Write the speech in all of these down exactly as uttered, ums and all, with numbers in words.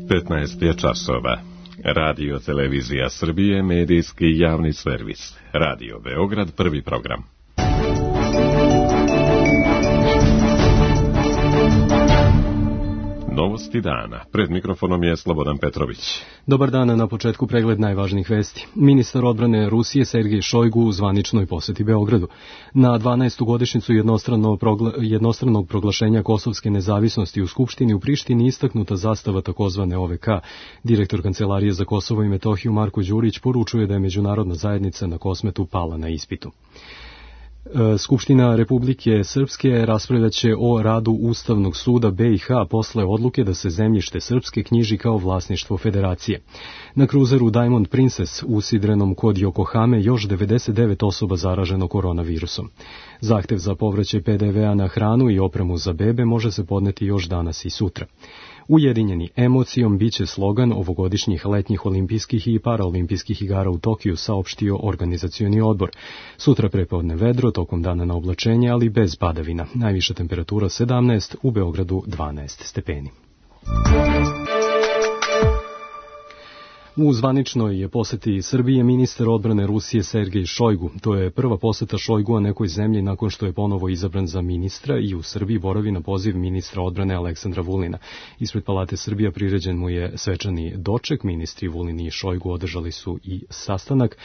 petnaest je časova. Radio Televizija Srbije, medijski javni servis. Radio Beograd, prvi program. Novosti dana. Pred mikrofonom je Slobodan Petrović. Dobar dan, na početku pregled najvažnijih vesti. Ministar odbrane Rusije Sergej Šojgu u zvaničnoj poseti Beogradu. Na dvanaestu godišnjicu jednostranog, progla, jednostranog proglašenja kosovske nezavisnosti u Skupštini u Prištini istaknuta zastava takozvane O V K. Direktor Kancelarije za Kosovo i Metohiju Marko Đurić poručuje da je međunarodna zajednica na Kosmetu pala na ispitu. Skupština Republike Srpske raspravljaće o radu Ustavnog suda B i H posle odluke da se zemljište Srpske knjiži kao vlasništvo federacije. Na kruzeru Diamond Princess usidrenom kod Yokohame još devedeset devet osoba zaraženo koronavirusom. Zahtev za povraćaj P D V a na hranu i opremu za bebe može se podneti još danas i sutra. Ujedinjeni emocijom biće slogan ovogodišnjih letnjih olimpijskih i paraolimpijskih igara u Tokiju, saopštio organizacioni odbor. Sutra prepodne vedro, tokom dana na oblačenje, ali bez padavina. Najviša temperatura sedamnaest, u Beogradu dvanaest stepeni. U zvaničnoj poseti Srbije ministar odbrane Rusije Sergej Šojgu. To je prva poseta Šojgua nekoj zemlji nakon što je ponovo izabran za ministra i u Srbiji boravi na poziv ministra odbrane Aleksandra Vulina. Ispred Palate Srbija priređen mu je svečani doček. Ministri Vulin i Šojgu održali su i sastanak,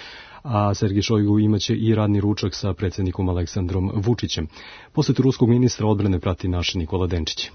a Sergej Šojgu imaće i radni ručak sa predsjednikom Aleksandrom Vučićem. Posetu ruskog ministra odbrane prati naš Nikola Denčić.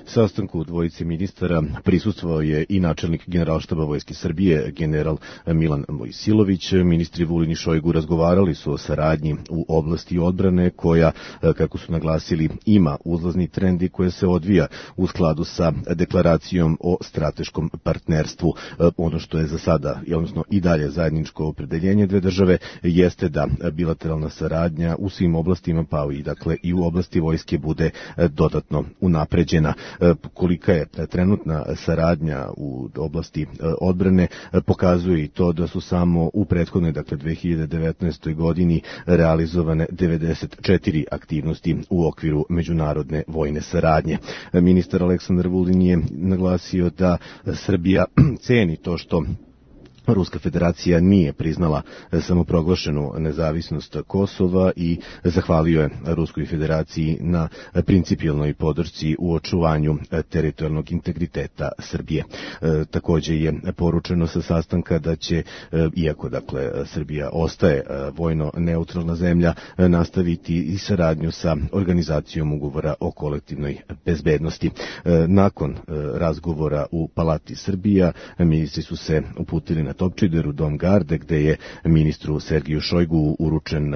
Sastanku dvojice ministara prisustvovao je i načelnik Generalštaba Vojske Srbije, general Milan Mojsilović. Ministri Vulin i Šojgu razgovarali su o saradnji u oblasti odbrane koja, kako su naglasili, ima uzlazni trend i koja se odvija u skladu sa deklaracijom o strateškom partnerstvu. Ono što je za sada, odnosno i dalje zajedničko opredeljenje dve države, jeste da bilateralna saradnja u svim oblastima, pa i dakle i u oblasti vojske, bude dodatno unapređena. Kolika je trenutna saradnja u oblasti odbrane pokazuje i to da su samo u prethodnoj, dakle dve hiljade devetnaestoj godini realizovane devedeset četiri aktivnosti u okviru međunarodne vojne saradnje. Ministar Aleksandar Vulin je naglasio da Srbija ceni to što Ruska federacija nije priznala samoproglašenu nezavisnost Kosova i zahvalio je Ruskoj federaciji na principijelnoj podršci u očuvanju teritorijalnog integriteta Srbije. E, također je poručeno sa sastanka da će, e, iako dakle Srbija ostaje vojno neutralna zemlja, nastaviti i saradnju sa organizacijom ugovora o kolektivnoj bezbednosti. E, nakon e, razgovora u Palati Srbija, ministri su se uputili na Topčider u Dom Garde, gde je ministru Sergeju Šojgu uručen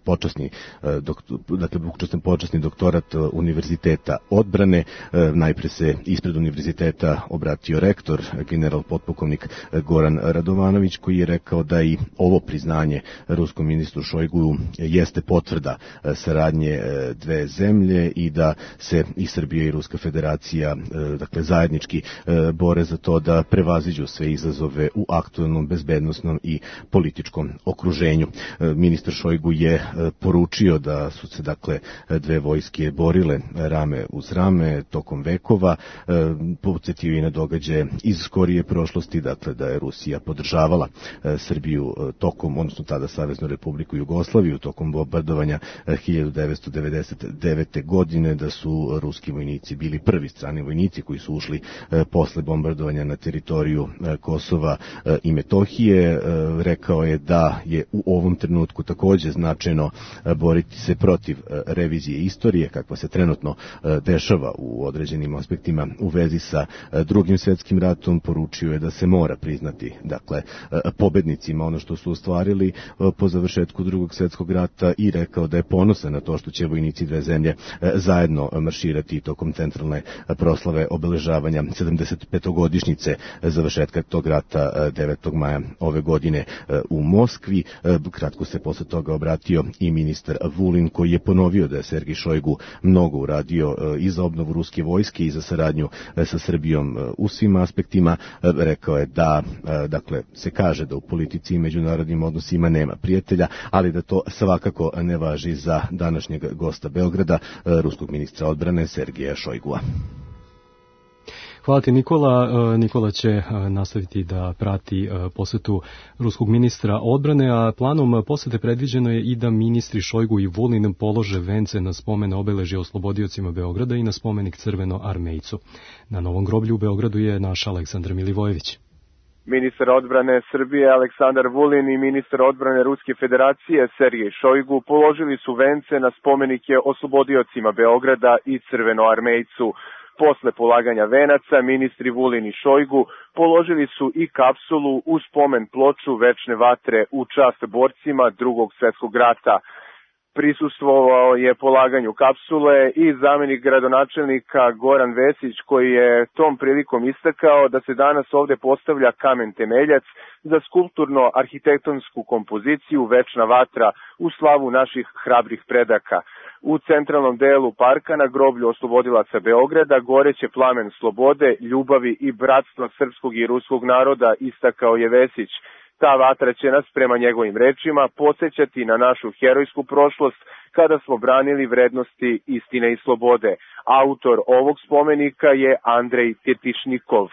počasni, dakle, učestan počasni doktorat Univerziteta odbrane. Najpre se ispred univerziteta obratio rektor, general potpukovnik Goran Radovanović, koji je rekao da i ovo priznanje ruskom ministru Šojgu jeste potvrda saradnje dve zemlje i da se i Srbija i Ruska federacija, dakle, zajednički bore za to da prevaziđu sve izazove u aktualnom bezbednosnom i političkom okruženju. Ministar Šojgu je poručio da su se dakle dve vojske borile rame uz rame tokom vekova, podsjetio i na događaje iz skorije prošlosti, dakle da je Rusija podržavala Srbiju tokom, odnosno tada Saveznu Republiku Jugoslaviju tokom bombardovanja hiljadu devetsto devedeset devete. godine, da su ruski vojnici bili prvi strani vojnici koji su ušli posle bombardovanja na teritoriju Kosova i Metohije. Rekao je da je u ovom trenutku također značajno boriti se protiv revizije istorije, kakva se trenutno dešava u određenim aspektima u vezi sa drugim svjetskim ratom. Poručio je da se mora priznati, dakle, pobednicima ono što su ostvarili po završetku drugog svjetskog rata i rekao da je ponosan na to što će vojnici dve zemlje zajedno marširati tokom centralne proslave obeležavanja sedamdesetpetogodišnjice završetka tog rata devetog maja ove godine u Moskvi. Kratko se posle toga obratio i ministar Vulin, koji je ponovio da je Sergej Šojgu mnogo uradio i za obnovu ruske vojske i za saradnju sa Srbijom u svim aspektima. Rekao je da, dakle, se kaže da u politici i međunarodnim odnosima nema prijatelja, ali da to svakako ne važi za današnjeg gosta Beograda, ruskog ministra odbrane Sergeja Šojgua. Hvala ti, Nikola. Nikola će nastaviti da prati posetu ruskog ministra odbrane, a planom posete predviđeno je i da ministri Šojgu i Vulin polože vence na spomen obeležja oslobodiocima Beograda i na spomenik Crvenoarmejcu. Na novom groblju u Beogradu je naš Aleksandar Milivojević. Ministar odbrane Srbije Aleksandar Vulin i ministar odbrane Ruske federacije Sergej Šojgu položili su vence na spomenike oslobodiocima Beograda i Crvenoarmejcu. Posle polaganja venaca, ministri Vulin i Šojgu položili su i kapsulu u spomen ploču večne vatre u čast borcima Drugog svjetskog rata. Prisustvovao je polaganju kapsule i zamenik gradonačelnika Goran Vesić, koji je tom prilikom istakao da se danas ovde postavlja kamen temeljac za skulpturno-arhitektonsku kompoziciju Večna vatra u slavu naših hrabrih predaka. U centralnom delu parka na groblju oslobodilaca Beograda goreće plamen slobode, ljubavi i bratstva srpskog i ruskog naroda, istakao je Vesić. Ta vatra će nas, prema njegovim rečima, podsjećati na našu herojsku prošlost kada smo branili vrednosti istine i slobode. Autor ovog spomenika je Andrej Tjetišnikov.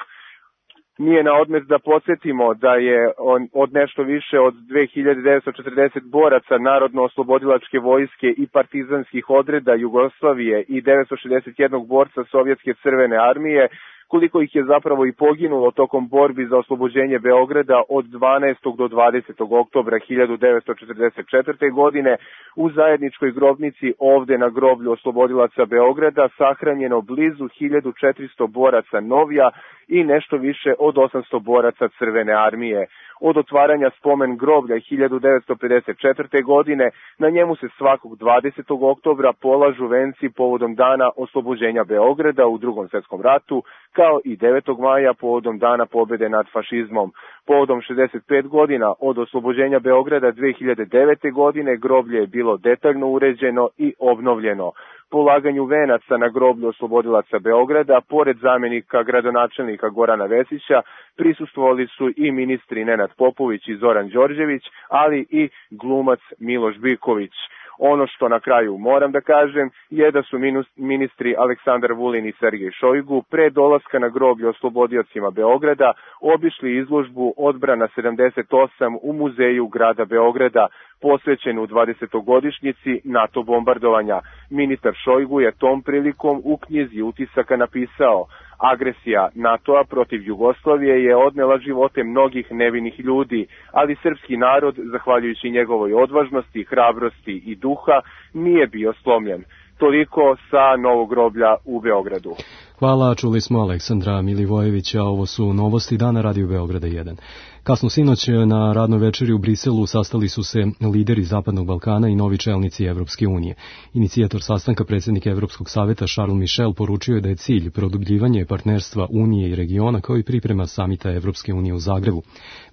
Nije na odmet da podsjetimo da je on, od nešto više od dve hiljade devetsto četrdeset boraca Narodno-oslobodilačke vojske i partizanskih odreda Jugoslavije i devetsto šezdeset jedan borca Sovjetske crvene armije, koliko ih je zapravo i poginulo tokom borbi za oslobođenje Beograda od dvanaestog do dvadesetog oktobra hiljadu devetsto četrdeset četvrte. godine, u zajedničkoj grobnici ovde na groblju oslobodilaca Beograda sahranjeno blizu hiljadu četiristo boraca novija i nešto više od osamsto boraca Crvene armije. Od otvaranja spomen groblja hiljadu devetsto pedeset četvrte. godine na njemu se svakog dvadesetog oktobra polažu venci povodom dana oslobođenja Beograda u Drugom svjetskom ratu, kao i devetog maja povodom dana pobjede nad fašizmom. Povodom šezdeset pet godina od oslobođenja Beograda dve hiljade devete. godine groblje je bilo detaljno uređeno i obnovljeno. Polaganju venaca na groblju oslobodilaca Beograda, pored zamenika gradonačelnika Gorana Vesića, prisustvovali su i ministri Nenad Popović i Zoran Đorđević, ali i glumac Miloš Biković. Ono što na kraju moram da kažem je da su ministri Aleksandar Vulin i Sergej Šojgu pre dolaska na groblje oslobodiocima Beograda obišli izložbu Odbrana sedamdeset osam u muzeju grada Beograda, posvećenu dvadesetogodišnjici NATO bombardovanja. Ministar Šojgu je tom prilikom u knjizi utisaka napisao: agresija NATO-a protiv Jugoslavije je odnela živote mnogih nevinih ljudi, ali srpski narod, zahvaljujući njegovoj odvažnosti, hrabrosti i duha, nije bio slomljen. Toliko sa novog groblja u Beogradu. Hvala, čuli smo Aleksandra Milivojevića, ovo su novosti dana Radio Beograda jedan. Kasno sinoć na radnoj večeri u Briselu sastali su se lideri Zapadnog Balkana i novi čelnici Evropske unije. Inicijator sastanka, predsjednik Evropskog saveta Charles Michel, poručio je da je cilj produbljivanje partnerstva Unije i regiona kao i priprema samita Evropske unije u Zagrebu.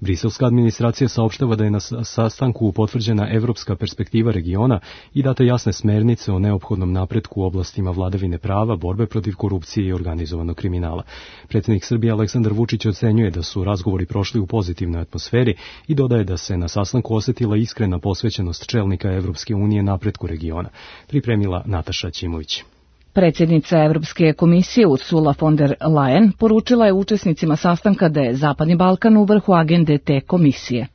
Briselska administracija saopštava da je na sastanku potvrđena evropska perspektiva regiona i date jasne smernice o neophodnom napretku u oblastima vladavine prava, borbe protiv korupcije i organizovanog kriminala. Predsjednik Srbije Aleksandar Vučić ocenjuje da su razgovori prošli u pozitivnoj atmosferi i dodaje da se na sastanku osjetila iskrena posvećenost čelnika Evropske unije napretku regiona. Pripremila Nataša Ćimović. Predsjednica Evropske komisije Ursula von der Leyen poručila je učesnicima sastanka da je Zapadni Balkan u vrhu agende te komisije.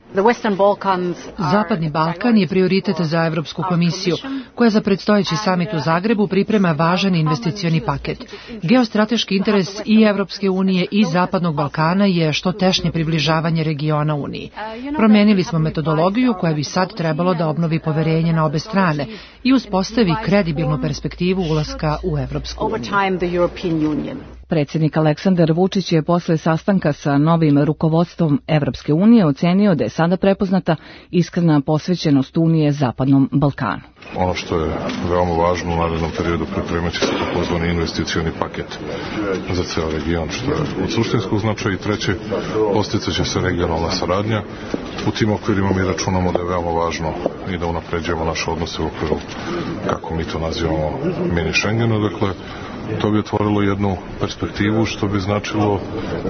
Zapadni Balkan je prioritet za Evropsku komisiju, koja za predstojeći samit u Zagrebu priprema važan investicioni paket. Geostrateški interes i Evropske unije i Zapadnog Balkana je što tešnje približavanje regiona Uniji. Promenili smo metodologiju koja bi sad trebalo da obnovi poverenje na obe strane i uspostavi kredibilnu perspektivu ulaska u Evropsku uniju. Predsjednik Aleksandar Vučić je posle sastanka sa novim rukovodstvom Evropske unije ocenio da je sada prepoznata iskrena posvećenost Unije Zapadnom Balkanu. Ono što je veoma važno u narednom periodu, pripremat će se takozvani investicioni paket za ceo region, što je od suštinskog značaja. I treće, posticat će se regionalna saradnja. U tim okvirima mi računamo da je veoma važno i da unapređujemo naše odnose u okviru, kako mi to nazivamo, mini Schengenu, dakle To bi otvorilo jednu perspektivu, što bi značilo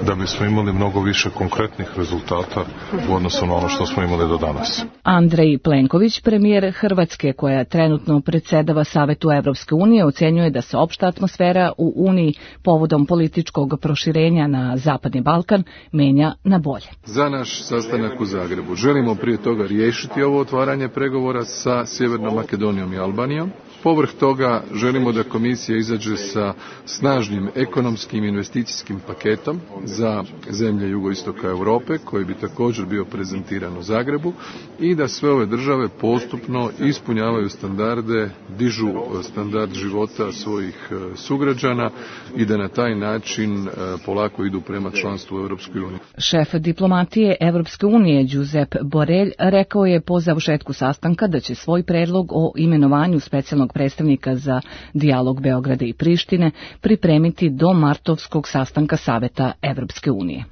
da bismo imali mnogo više konkretnih rezultata u odnosu na ono što smo imali do danas. Andrej Plenković, premijer Hrvatske, koja trenutno predsedava Savetu Evropske unije, ocenjuje da se opšta atmosfera u Uniji povodom političkog proširenja na Zapadni Balkan menja na bolje. Za naš sastanak u Zagrebu želimo prije toga riješiti ovo otvaranje pregovora sa Sjevernom Makedonijom i Albanijom. Povrh toga želimo da komisija izađe sa snažnim ekonomskim investicijskim paketom za zemlje jugoistoka Europe, koji bi također bio prezentiran u Zagrebu, i da sve ove države postupno ispunjavaju standarde, dižu standard života svojih sugrađana i da na taj način polako idu prema članstvu u Europskoj uniji. Šef diplomatije Evropske unije Josep Borrell rekao je po završetku sastanka da će svoj predlog o imenovanju specijalnog predstavnika za dijalog Beograda i Prištine pripremiti do martovskog sastanka Saveta Evropske unije.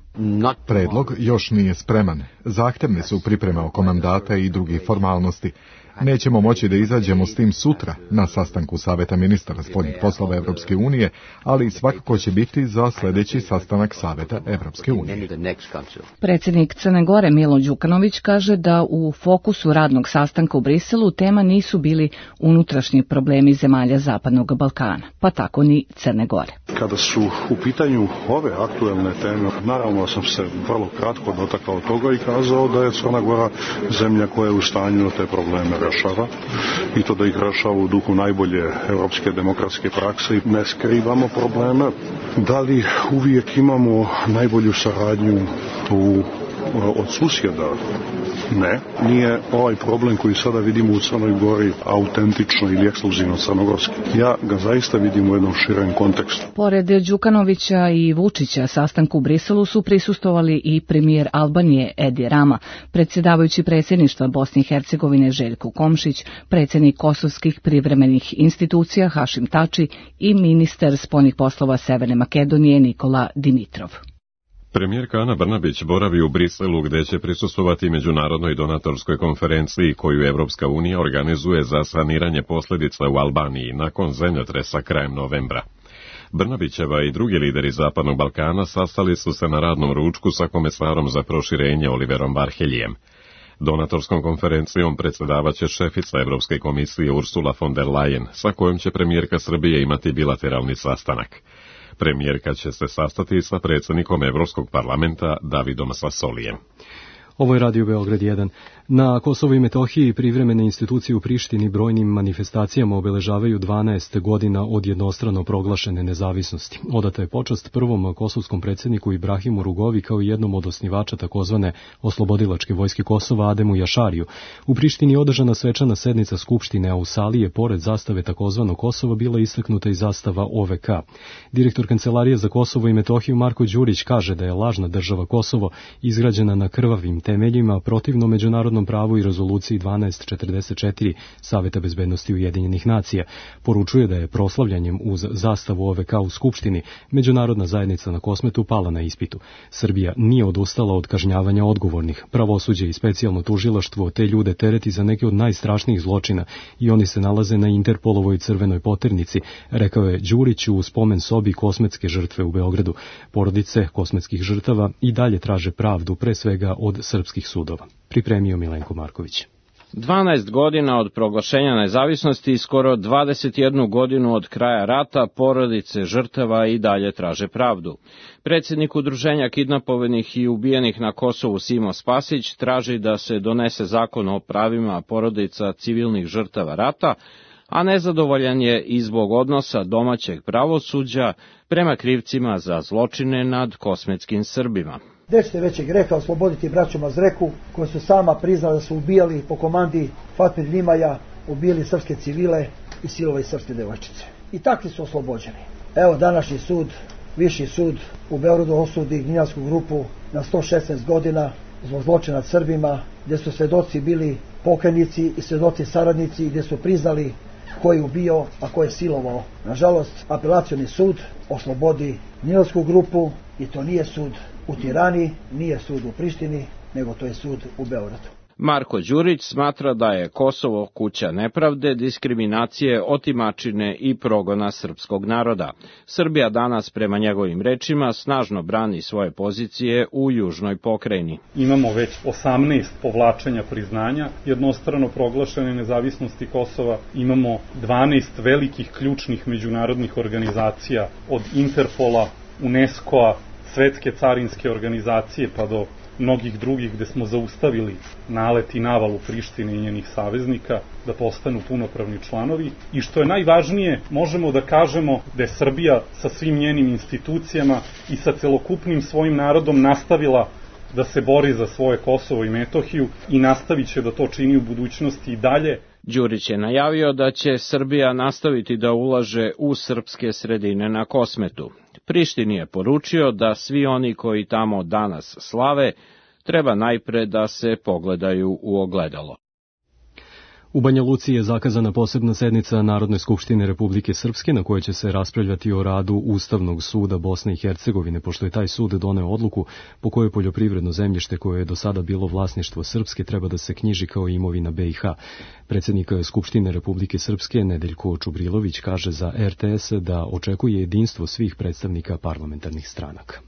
Predlog još nije spreman. Zahtevne su pripreme oko mandata i drugih formalnosti. Nećemo moći da izađemo s tim sutra na sastanku Saveta ministara spoljnih poslova Evropske unije, ali svakako će biti za sljedeći sastanak Saveta Evropske unije. Predsjednik Crne Gore Milo Đukanović kaže da u fokusu radnog sastanka u Briselu tema nisu bili unutrašnji problemi zemalja Zapadnog Balkana, pa tako ni Crne Gore. Kada su u pitanju ove aktuelne teme, naravno sam se vrlo kratko dotakao toga i kazao da je Crna Gora zemlja koja je u stanju da te probleme rešava i to da ih rešava u duhu najbolje evropske demokratske prakse i ne skrivamo probleme. Da li uvijek imamo najbolju saradnju u, od susjeda? Ne, nije ovaj problem koji sada vidimo u Crnoj Gori autentično ili ekskluzivno crnogorski. Ja ga zaista vidim u jednom širem kontekstu. Pored Đukanovića i Vučića sastanku u Briselu su prisustvovali i premijer Albanije Edi Rama, predsjedavajući predsjedništva Bosne i Hercegovine Željko Komšić, predsjednik kosovskih privremenih institucija Hašim Tači i ministar spoljnih poslova Severne Makedonije Nikola Dimitrov. Premijerka Ana Brnabić boravi u Briselu gdje će prisustvovati međunarodnoj donatorskoj konferenciji koju Evropska unija organizuje za saniranje posljedica u Albaniji nakon zemljotresa krajem novembra. Brnabićeva i drugi lideri Zapadnog Balkana sastali su se na radnom ručku sa komesarom za proširenje Oliverom Varheljijem. Donatorskom konferencijom predsjedavaće šefica Evropske komisije Ursula von der Leyen, sa kojom će premijerka Srbije imati bilateralni sastanak. Premijerka će se sastati sa predsjednikom Evropskog parlamenta Davidom Sassolijem. Ovo je Radio Beograd jedan. Na Kosovu i Metohiji privremene institucije u Prištini brojnim manifestacijama obeležavaju dvanaest godina od jednostrano proglašene nezavisnosti. Odata je počast prvom kosovskom predsjedniku Ibrahimu Rugovi kao jednom od osnivača takozvane oslobodilačke vojske Kosova Ademu Jašariju. U Prištini je održana svečana sednica Skupštine, a u sali je pored zastave takozvano Kosova bila istaknuta i zastava O V K. Direktor Kancelarije za Kosovo i Metohiju Marko Đurić kaže da je lažna država Kosovo izgrađena na krvavim temeljima protivno međunarodnom pravu i rezoluciji dvanaest četrdeset četiri Saveta bezbednosti Ujedinjenih nacija. Poručuje da je proslavljanjem uz zastavu O V K u Skupštini međunarodna zajednica na Kosmetu pala na ispitu. Srbija nije odustala od kažnjavanja odgovornih. Pravosuđe i specijalno tužilaštvo te ljude tereti za neke od najstrašnijih zločina i oni se nalaze na Interpolovoj crvenoj poternici, rekao je Đurić u spomen sobi kosmetske žrtve u Beogradu. Porodice kosmetskih žrtava i dalje traže pravdu, pre svega od srpskih sudova. Pripremio Milenko Marković. dvanaest godina od proglašenja nezavisnosti i skoro dvadeset jednu godinu od kraja rata porodice žrtava i dalje traže pravdu. Predsjednik udruženja kidnapovanih i ubijenih na Kosovu Simo Spasić traži da se donese zakon o pravima porodica civilnih žrtava rata, a nezadovoljan je i zbog odnosa domaćeg pravosuđa prema krivcima za zločine nad kosmetskim Srbima. Nećete većeg greha osloboditi braću Mazreku, koji su sama priznali da su ubijali po komandi Fatmir Nimaja, ubijali srpske civile i silovali srpske devojčice. I takvi su oslobođeni. Evo današnji sud, viši sud u Beogradu osudi Gnjilansku grupu na sto šesnaest godina zbog zločina nad Srbima, gdje su svedoci bili pokajnici i svedoci saradnici, gdje su priznali ko je ubio, a ko je silovao. Nažalost, apelacioni sud oslobodi Gnjilansku grupu i to nije sud u Tirani, nije sud u Prištini, nego to je sud u Beogradu. Marko Đurić smatra da je Kosovo kuća nepravde, diskriminacije, otimačine i progona srpskog naroda. Srbija danas, prema njegovim rečima, snažno brani svoje pozicije u južnoj pokrajini. Imamo već osamnaest povlačenja priznanja jednostrano proglašene nezavisnosti Kosova. Imamo dvanaest velikih ključnih međunarodnih organizacija, od Interpola, UNESCO-a, Svetske carinske organizacije pa do mnogih drugih, gde smo zaustavili nalet i navalu Prištine i njenih saveznika da postanu punopravni članovi. I što je najvažnije, možemo da kažemo da je Srbija sa svim njenim institucijama i sa celokupnim svojim narodom nastavila da se bori za svoje Kosovo i Metohiju i nastavit će da to čini u budućnosti i dalje. Đurić je najavio da će Srbija nastaviti da ulaže u srpske sredine na Kosmetu. Prištini je poručio da svi oni koji tamo danas slave treba najpre da se pogledaju u ogledalo. U Banja Luci je zakazana posebna sednica Narodne skupštine Republike Srpske na kojoj će se raspravljati o radu Ustavnog suda Bosne i Hercegovine, pošto je taj sud doneo odluku po kojoj poljoprivredno zemljište koje je do sada bilo vlasništvo Srpske treba da se knjiži kao imovina B i H. Predsjednik Skupštine Republike Srpske Nedeljko Čubrilović kaže za R T S da očekuje jedinstvo svih predstavnika parlamentarnih stranaka.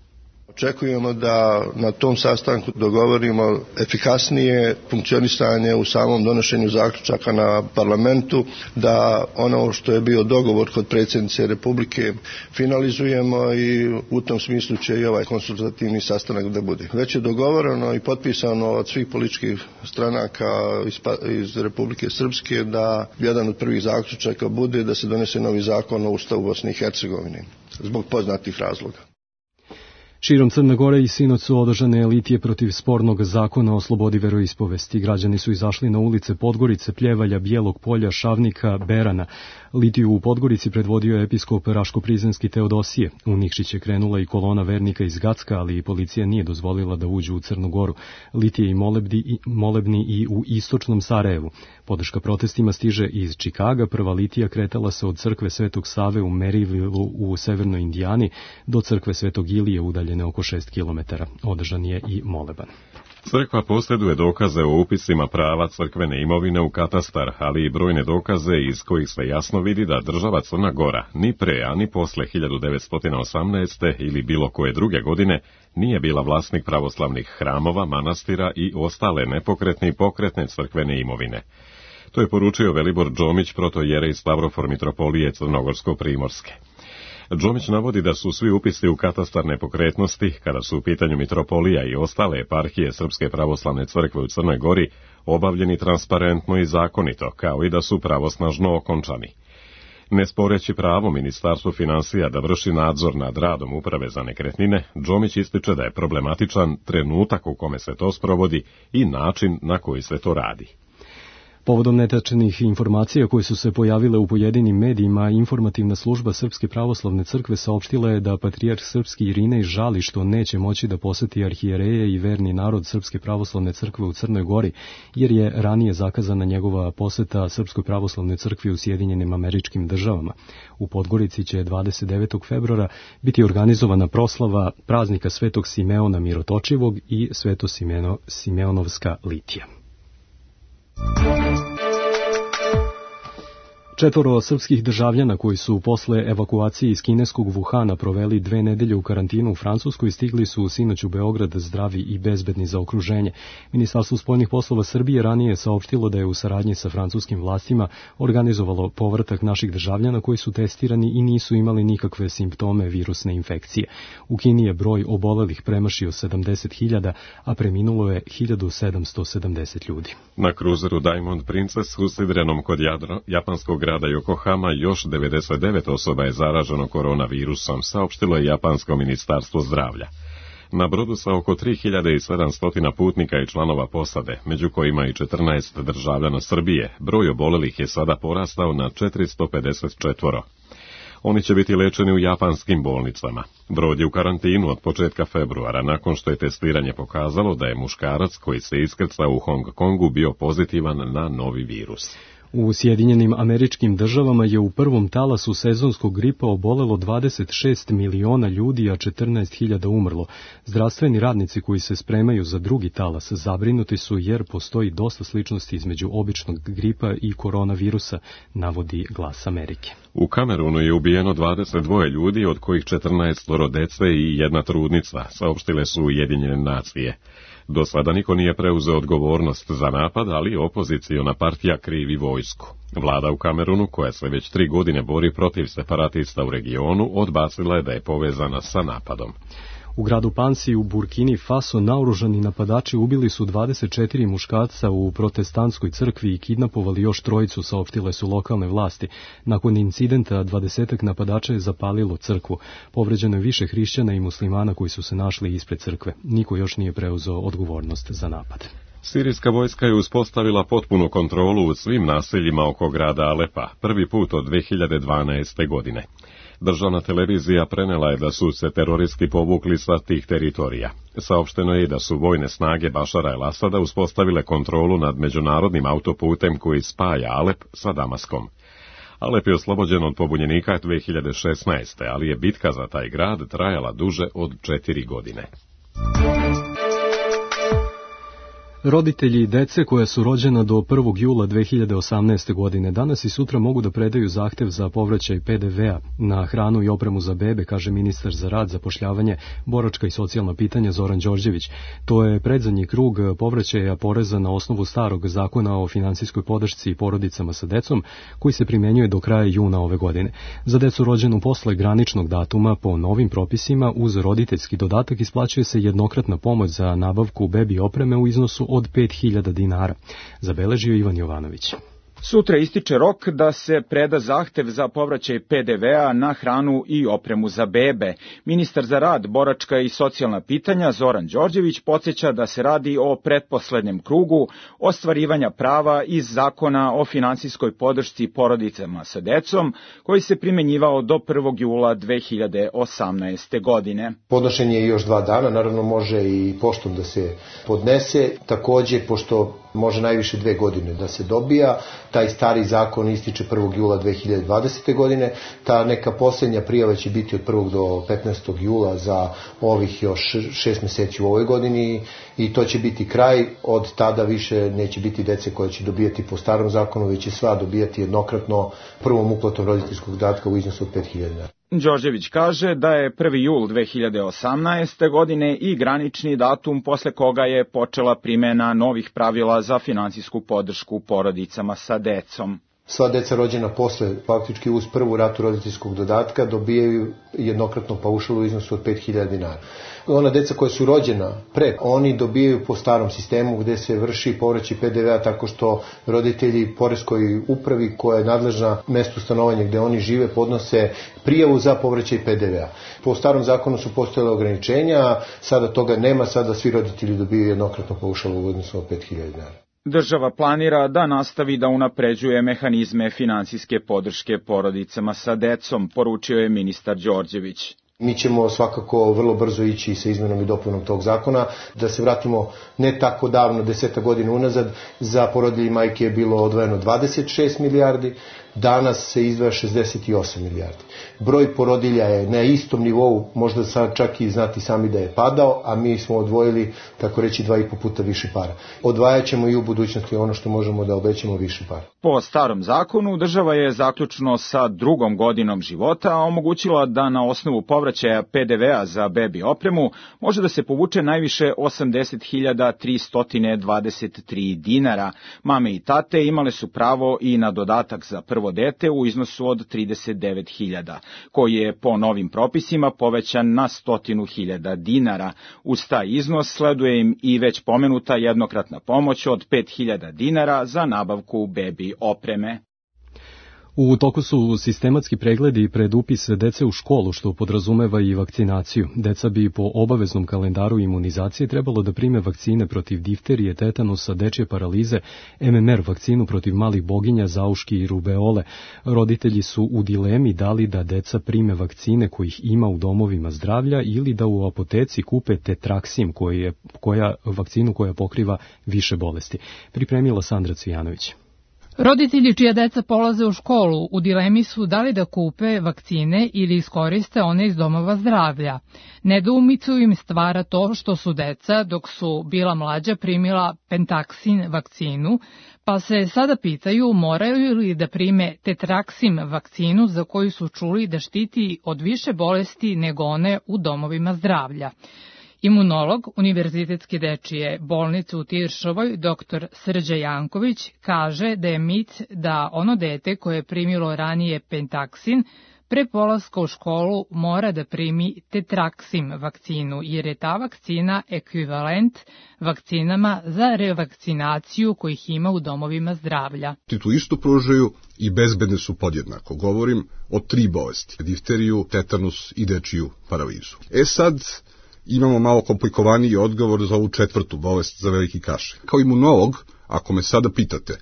Očekujemo da na tom sastanku dogovorimo efikasnije funkcionisanje u samom donošenju zaključaka na parlamentu, da ono što je bio dogovor kod predsjednice Republike finalizujemo i u tom smislu će i ovaj konsultativni sastanak da bude. Već je dogovoreno i potpisano od svih političkih stranaka iz, iz Republike Srpske da jedan od prvih zaključaka bude da se donese novi zakon o Ustavu Bosne i Hercegovine zbog poznatih razloga. Širom Crne Gore i sinoć su održane litije protiv spornog zakona o slobodi veroispovesti. Građani su izašli na ulice Podgorice, Pljevalja, Bijelog Polja, Šavnika, Berana. Litiju u Podgorici predvodio episkop Raško-Prizrenski Teodosije. U Nikšić je krenula i kolona vernika iz Gacka, ali i policija nije dozvolila da uđu u Crnu Goru. Litije i molebni, molebni i u istočnom Sarajevu. Podrška protestima stiže iz Čikaga. Prva litija kretala se od crkve Svetog Save u Maryvillu u severnoj Indijani do crkve Svetog Ilije udaljene oko šest kilometara. Održan je i moleban. Crkva posjeduje dokaze o upisima prava crkvene imovine u katastar, ali i brojne dokaze iz kojih se jasno vidi da država Crna Gora ni pre, a ni posle hiljadu devetsto osamnaeste. ili bilo koje druge godine nije bila vlasnik pravoslavnih hramova, manastira i ostale nepokretne i pokretne crkvene imovine. To je poručio Velibor Džomić, protojerej Stavrofor mitropolije Crnogorsko-Primorske. Džomić navodi da su svi upisi u katastar nepokretnosti, kada su u pitanju mitropolija i ostale eparhije Srpske pravoslavne crkve u Crnoj Gori, obavljeni transparentno i zakonito, kao i da su pravosnažno okončani. Ne sporeći pravo Ministarstvu finansija da vrši nadzor nad radom Uprave za nekretnine, Džomić ističe da je problematičan trenutak u kome se to sprovodi i način na koji se to radi. Povodom netačnih informacija koje su se pojavile u pojedinim medijima, informativna služba Srpske pravoslavne crkve saopštila je da patrijarh srpski Irinej žali što neće moći da poseti arhijereje i verni narod Srpske pravoslavne crkve u Crnoj Gori, jer je ranije zakazana njegova poseta Srpskoj pravoslavnoj crkvi u Sjedinjenim Američkim Državama. U Podgorici će dvadeset devetog februara biti organizovana proslava praznika Svetog Simeona Mirotočivog i Sveto Simeno, Simeonovska litija. Četvoro srpskih državljana koji su posle evakuacije iz kineskog Wuhana proveli dve nedelje u karantinu u Francuskoj stigli su sinoć u Beograd zdravi i bezbedni za okruženje. Ministarstvo spoljnih poslova Srbije ranije je saopštilo da je u saradnji sa francuskim vlastima organizovalo povratak naših državljana koji su testirani i nisu imali nikakve simptome virusne infekcije. U Kini je broj obolelih premašio sedamdeset hiljada, a preminulo je hiljadu sedamsto sedamdeset ljudi. Na kruzeru Diamond Princess usidrenom kod Jadro, japanskog grada Yokohama još devedeset devet osoba je zaraženo koronavirusom, saopštilo je Japansko ministarstvo zdravlja. Na brodu sa oko tri hiljade sedamsto putnika i članova posade, među kojima i četrnaest državljana Srbije, broj obolelih je sada porastao na četiristo pedeset četvoro. Oni će biti lečeni u japanskim bolnicama. Brod je u karantinu od početka februara, nakon što je testiranje pokazalo da je muškarac koji se iskrcao u Hong Kongu bio pozitivan na novi virus. U Sjedinjenim Američkim Državama je u prvom talasu sezonskog gripa obolelo dvadeset šest miliona ljudi, a četrnaest hiljada umrlo. Zdravstveni radnici koji se spremaju za drugi talas zabrinuti su jer postoji dosta sličnosti između običnog gripa i koronavirusa, navodi Glas Amerike. U Kamerunu je ubijeno dvadeset dva ljudi, od kojih četrnaest dece i jedna trudnica, saopštile su Ujedinjene nacije. Do sada niko nije preuzeo odgovornost za napad, ali opoziciona partija krivi vojsku. Vlada u Kamerunu, koja se već tri godine bori protiv separatista u regionu, odbacila je da je povezana sa napadom. U gradu Pansi u Burkini Faso naoružani napadači ubili su dvadeset četiri muškarca u protestantskoj crkvi i kidnapovali još trojicu, saopštile su lokalne vlasti. Nakon incidenta dvadesetak napadača je zapalilo crkvu. Povređeno je više hrišćana i muslimana koji su se našli ispred crkve. Niko još nije preuzeo odgovornost za napad. Sirijska vojska je uspostavila potpunu kontrolu u svim naseljima oko grada Alepa, prvi put od dve hiljade dvanaeste. godine. Državna televizija prenela je da su se teroristi povukli sa tih teritorija. Saopšteno je da su vojne snage Bašara el-Asada uspostavile kontrolu nad međunarodnim autoputem koji spaja Alep sa Damaskom. Alep je oslobođen od pobunjenika dve hiljade šesnaeste. ali je bitka za taj grad trajala duže od četiri godine. Roditelji dece koja su rođena do prvog jula dve hiljade osamnaeste. godine danas i sutra mogu da predaju zahtev za povraćaj pe de ve a na hranu i opremu za bebe, kaže ministar za rad, zapošljavanje, boračka i socijalna pitanja Zoran Đorđević. To je predzadnji krug povraćaja poreza na osnovu starog zakona o finansijskoj podršci porodicama sa decom, koji se primenjuje do kraja juna ove godine. Za decu rođenu posle graničnog datuma po novim propisima uz roditeljski dodatak isplaćuje se jednokratna pomoć za nabavku bebi opreme u iznosu od pet hiljada dinara, zabeležio Ivan Jovanović. Sutra ističe rok da se preda zahtev za povraćaj pe de ve a na hranu i opremu za bebe. Ministar za rad, boračka i socijalna pitanja Zoran Đorđević podsjeća da se radi o pretposlednjem krugu ostvarivanja prava iz zakona o finansijskoj podršci porodicama sa decom, koji se primenjivao do prvog jula dve hiljade osamnaeste. godine. Podnošenje je još dva dana, naravno može i poštom da se podnese, takođe pošto može najviše dve godine da se dobija. Taj stari zakon ističe prvog jula dve hiljade dvadesete. godine. Ta neka posljednja prijava će biti od prvog do petnaestog jula za ovih još šest meseci u ovoj godini i to će biti kraj. Od tada više neće biti dece koje će dobijati po starom zakonu, već će sva dobijati jednokratno prvom uplatom roditeljskog dodatka u iznosu od pet hiljada dinara. Đorđević kaže da je prvi jul dve hiljade osamnaeste. godine i granični datum posle koga je počela primena novih pravila za finansijsku podršku porodicama sa decom. Sva deca rođena posle, faktički uz prvu ratu roditeljskog dodatka, dobijaju jednokratno paušal u iznosu od pet hiljada dinara. Ona deca koja su rođena pre, oni dobijaju po starom sistemu gde se vrši povraćaj pe de ve a tako što roditelji poreskoj upravi koja je nadležna mestu stanovanja gde oni žive podnose prijavu za povraćaj pe de ve a. Po starom zakonu su postojale ograničenja, sada toga nema, sada svi roditelji dobijaju jednokratno paušal u iznosu od pet hiljada dinara. Država planira da nastavi da unapređuje mehanizme finansijske podrške porodicama sa decom, poručio je ministar Đorđević. Mi ćemo svakako vrlo brzo ići sa izmenom i dopunom tog zakona. Da se vratimo ne tako davno, deseta godina unazad, za porodilje i majke je bilo odvojeno dvadeset šest milijardi, danas se izdvaja šezdeset osam milijardi. Broj porodilja je na istom nivou, možda sad čak i znati sami da je padao, a mi smo odvojili, tako reći, dva i po puta više para. Odvajat ćemo i u budućnosti ono što možemo da obećamo više para. Po starom zakonu, država je zaključno sa drugom godinom života omogućila da na osnovu povraćaja pe de ve a za bebi opremu može da se povuče najviše osamdeset hiljada tristo dvadeset tri dinara. Mame i tate imale su pravo i na dodatak za prvo dete u iznosu od trideset devet hiljada, koji je po novim propisima povećan na sto hiljada dinara. Uz taj iznos sleduje im i već pomenuta jednokratna pomoć od pet hiljada dinara za nabavku bebi opreme. U toku su sistematski pregledi pred upis dece u školu, što podrazumeva i vakcinaciju. Deca bi po obaveznom kalendaru imunizacije trebalo da prime vakcine protiv difterije, tetanusa, dečje paralize, em em er, vakcinu protiv malih boginja, zauški i rubeole. Roditelji su u dilemi da li da deca prime vakcine kojih ima u domovima zdravlja ili da u apoteci kupe tetraksim, koja, koja, vakcinu koja pokriva više bolesti. Pripremila Sandra Cvijanović. Roditelji čija deca polaze u školu u dilemi su da li da kupe vakcine ili iskoriste one iz domova zdravlja. Nedoumicu im stvara to što su deca, dok su bila mlađa, primila Pentaksin vakcinu, pa se sada pitaju moraju li da prime Tetraksim vakcinu za koju su čuli da štiti od više bolesti nego one u domovima zdravlja. Imunolog Univerzitetske dečije bolnice u Tiršovoj, doktor Srđa Janković, kaže da je mit da ono dete koje je primilo ranije Pentaksin pre polaska u školu mora da primi Tetraksim vakcinu, jer je ta vakcina ekvivalent vakcinama za revakcinaciju kojih ima u domovima zdravlja. Tu isto pružaju i bezbedne su podjednako. Govorim o tri bolesti: difteriju, tetanus i dečiju paralizu. E sad, imamo malo komplikovaniji odgovor za ovu četvrtu bolest, za veliki kašalj. Kao imunolog, ako me sada pitate,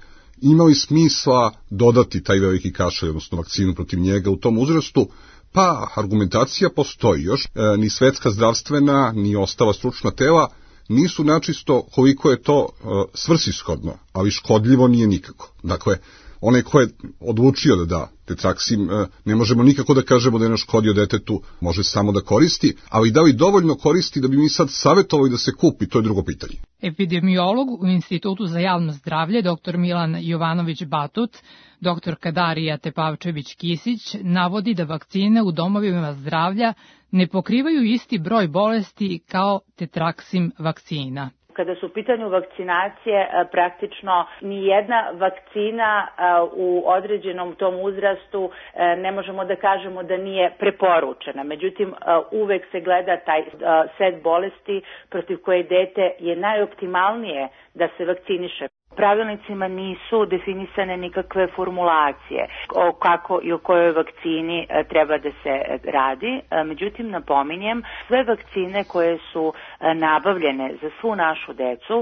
ima li smisla dodati taj veliki kašalj, odnosno vakcinu protiv njega u tom uzrastu? Pa, argumentacija postoji još. E, ni svetska zdravstvena, ni ostala stručna tela nisu načisto koliko je to e, svrsishodno, ali škodljivo nije nikako. Dakle, onaj ko je odlučio da da Tetraksim, ne možemo nikako da kažemo da je naškodio detetu, može samo da koristi, ali da li dovoljno koristi da bi mi sad savjetovali da se kupi, to je drugo pitanje. Epidemiolog u Institutu za javno zdravlje, doktor Milan Jovanović-Batut, doktor Darija Tepavčević-Kisić, navodi da vakcine u domovima zdravlja ne pokrivaju isti broj bolesti kao Tetraksim vakcina. Kada su u pitanju vakcinacije, praktično ni jedna vakcina u određenom tom uzrastu ne možemo da kažemo da nije preporučena. Međutim, uvek se gleda taj set bolesti protiv koje dete je najoptimalnije da se vakciniše. Pravilnicima nisu definisane nikakve formulacije o kako i o kojoj vakcini treba da se radi. Međutim, napominjem, sve vakcine koje su nabavljene za svu našu decu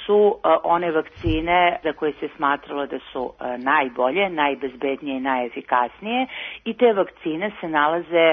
su one vakcine za koje se smatralo da su najbolje, najbezbednije i najefikasnije i te vakcine se nalaze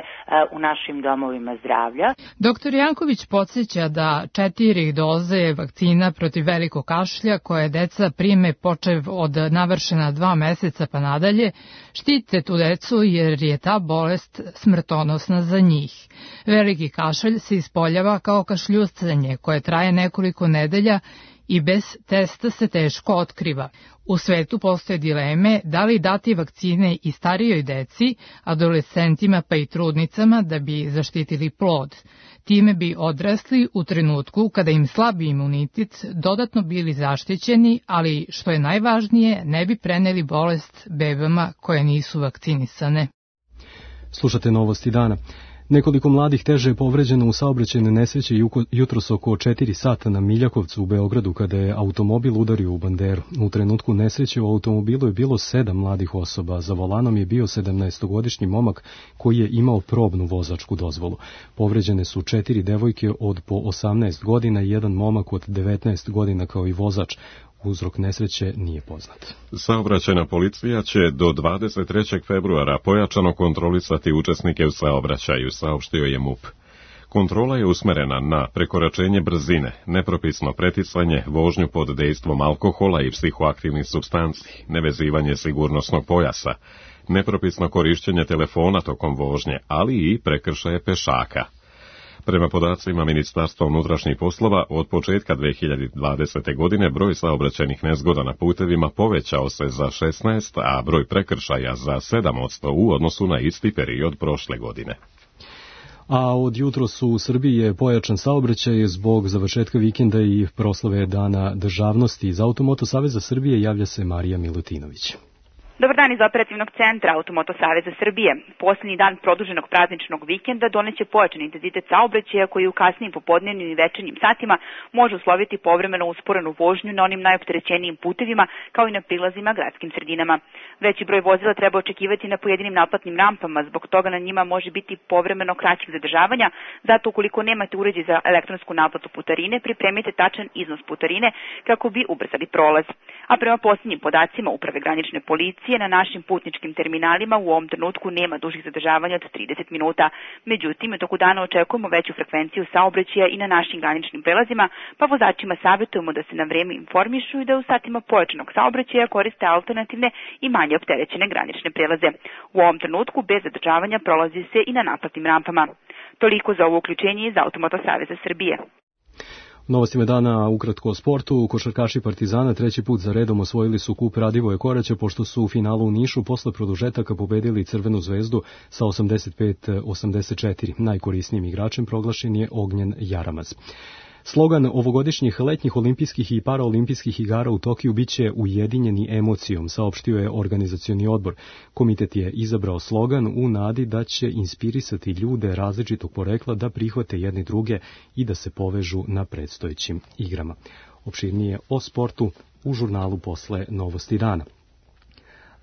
u našim domovima zdravlja. Doktor Janković podsjeća da četiri doze vakcina protiv velikog kašlja koje deca prime počev od navršena dva meseca pa nadalje, štite tu decu jer je ta bolest smrtonosna za njih. Veliki kašalj se ispoljava kao kašljuscanje koje traje nekoliko nedelja i bez testa se teško otkriva. U svetu postoje dileme da li dati vakcine i starijoj deci, adolescentima pa i trudnicama da bi zaštitili plod. Time bi odrasli u trenutku kada im slabi imunitet dodatno bili zaštićeni, ali što je najvažnije, ne bi preneli bolest bebama koje nisu vakcinisane. Slušate Novosti dana. Nekoliko mladih teže je povređeno u saobraćajnoj nesreći jutros oko četiri sata na Miljakovcu u Beogradu kada je automobil udario u banderu. U trenutku nesreće u automobilu je bilo sedam mladih osoba. Za volanom je bio sedamnaestogodišnji momak koji je imao probnu vozačku dozvolu. Povređene su četiri devojke od po osamnaest godina i jedan momak od devetnaest godina kao i vozač. Uzrok nesreće nije poznat. Saobraćajna policija će do dvadeset trećeg februara pojačano kontrolisati učesnike u saobraćaju, saopštio je MUP. Kontrola je usmerena na prekoračenje brzine, nepropisno preticanje, vožnju pod dejstvom alkohola i psihoaktivnih supstanci, nevezivanje sigurnosnog pojasa, nepropisno korišćenje telefona tokom vožnje, ali i prekršaje pešaka. Prema podacima Ministarstva unutrašnjih poslova, od početka dve hiljade dvadesete. godine broj saobraćajnih nezgoda na putevima povećao se za šesnaest, a broj prekršaja za sedam posto u odnosu na isti period prošle godine. A od jutros u Srbiji je pojačan saobraćaj zbog završetka vikenda i proslave Dana državnosti. Iz Automoto Saveza Srbije javlja se Marija Milutinović. Dobar dan iz operativnog centra Automoto Saveza Srbije. Posljednji dan produženog prazničnog vikenda doneće pojačan intenzitet saobraćaja koji u kasnijim popodnevnim i večernjim satima može usloviti povremeno usporenu vožnju na onim najopterećenijim putevima kao i na prilazima gradskim sredinama. Veći broj vozila treba očekivati na pojedinim naplatnim rampama, zbog toga na njima može biti povremeno kraćih zadržavanja, zato ukoliko nemate uređaj za elektronsku naplatu putarine, pripremite tačan iznos putarine kako bi ubrzali prolaz. A prema posljednjim podacima Uprave granične policije, saobraćaja na našim putničkim terminalima u ovom trenutku nema dužih zadržavanja od trideset minuta. Međutim, u toku dana očekujemo veću frekvenciju saobraćaja i na našim graničnim prelazima, pa vozačima savjetujemo da se na vreme informišu i da u satima pojačanog saobraćaja koriste alternativne i manje opterećene granične prelaze. U ovom trenutku bez zadržavanja prolazi se i na naplatnim rampama. Toliko za ovo uključenje iz Automoto Saveza Srbije. Novostima dana ukratko o sportu. Košarkaši Partizana treći put za redom osvojili su kup Radivoje Koraća, pošto su u finalu u Nišu posle produžetaka pobedili Crvenu zvezdu sa osamdeset pet osamdeset četiri. Najkorisnijim igračem proglašen je Ognjen Jaramaz. Slogan ovogodišnjih letnjih olimpijskih i paraolimpijskih igara u Tokiju biće ujedinjeni emocijom, saopštio je organizacioni odbor. Komitet je izabrao slogan u nadi da će inspirisati ljude različitog porekla da prihvate jedni druge i da se povežu na predstojećim igrama. Opširnije o sportu u žurnalu posle Novosti dana.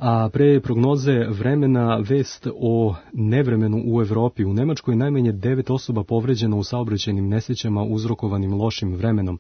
A pre prognoze vremena vest o nevremenu u Evropi. U Nemačkoj najmanje devet osoba povređeno u saobraćajnim nesrećama uzrokovanim lošim vremenom.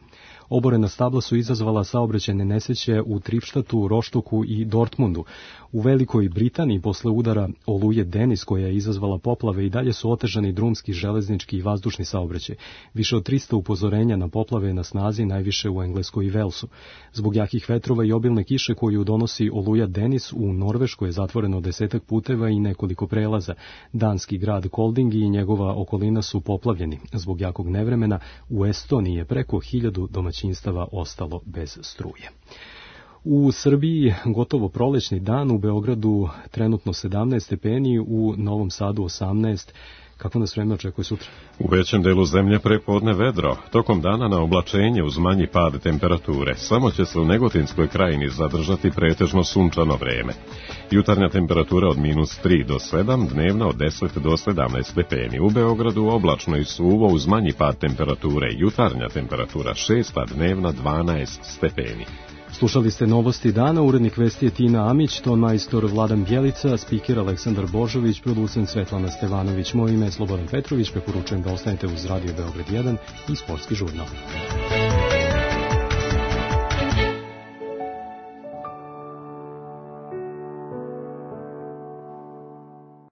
Oborena stabla su izazvala saobraćajne nesreće u Tripštatu, Roštoku i Dortmundu. U Velikoj Britaniji posle udara oluje Denis koja je izazvala poplave i dalje su otežani drumski, železnički i vazdušni saobraćaj. Više od trista upozorenja na poplave je na snazi, najviše u Engleskoj i Velsu. Zbog jakih vetrova i obilne kiše koju donosi oluja Denis, u Norveškoj je zatvoreno desetak puteva i nekoliko prelaza. Danski grad Kolding i njegova okolina su poplavljeni. Zbog jakog nevremena u Estoniji je preko hiljadu domaćinstava ostalo bez struje. U Srbiji gotovo prolećni dan, u Beogradu trenutno sedamnaest stepeni, u Novom Sadu osamnaest. Kako nas vreme očekuje sutra? U većem delu zemlje prepodne vedro. Tokom dana na oblačenje uz manji pad temperature. Samo će se u Negotinskoj krajini zadržati pretežno sunčano vreme. Jutarnja temperatura od minus tri do sedam, dnevna od deset do sedamnaest stepeni. U Beogradu oblačno i suvo uz manji pad temperature. Jutarnja temperatura šest, a dnevna dvanaest stepeni. Slušali ste Novosti dana, urednik vesti je Tina Amić, ton majstor Vladan Bjelica, spiker Aleksandar Božović, producent Svetlana Stevanović. Moje ime je Slobodan Petrović, preporučujem da ostanete uz Radio Beograd jedan i Sportski žurnal.